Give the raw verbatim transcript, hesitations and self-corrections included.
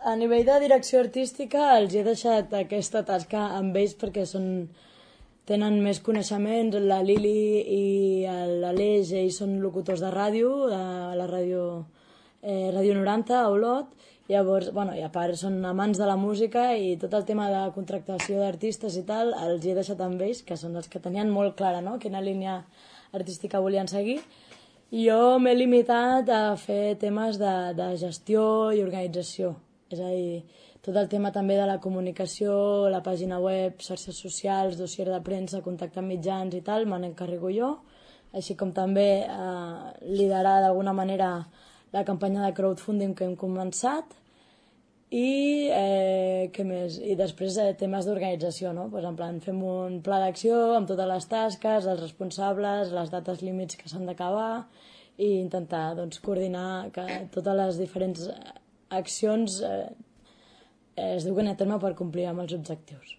a nivell de direcció artística els he deixat aquesta tasca amb ells perquè són, tenen més coneixements. La Lili i l'Aleix, ells són locutors de ràdio, de la ràdio, eh, ràdio noranta, a Olot. Llavors, bueno, i a part són amants de la música i tot el tema de contractació d'artistes i tal els he deixat amb ells, que són els que tenien molt clara, no?, quina línia artística volien seguir. I jo m'he limitat a fer temes de, de gestió i organització, és a dir, tot el tema també de la comunicació, la pàgina web, xarxes socials, dossier de premsa, contacte amb mitjans i tal, me n'encarrego jo, així com també eh, liderar d'alguna manera la campanya de crowdfunding que hem començat. I eh, què més? I després eh, temes d'organització, no? Pues en plan, fem un pla d'acció amb totes les tasques, els responsables, les dates límits que s'han d'acabar i intentar doncs, coordinar que totes les diferents accions eh, es duguen a terme per complir amb els objectius.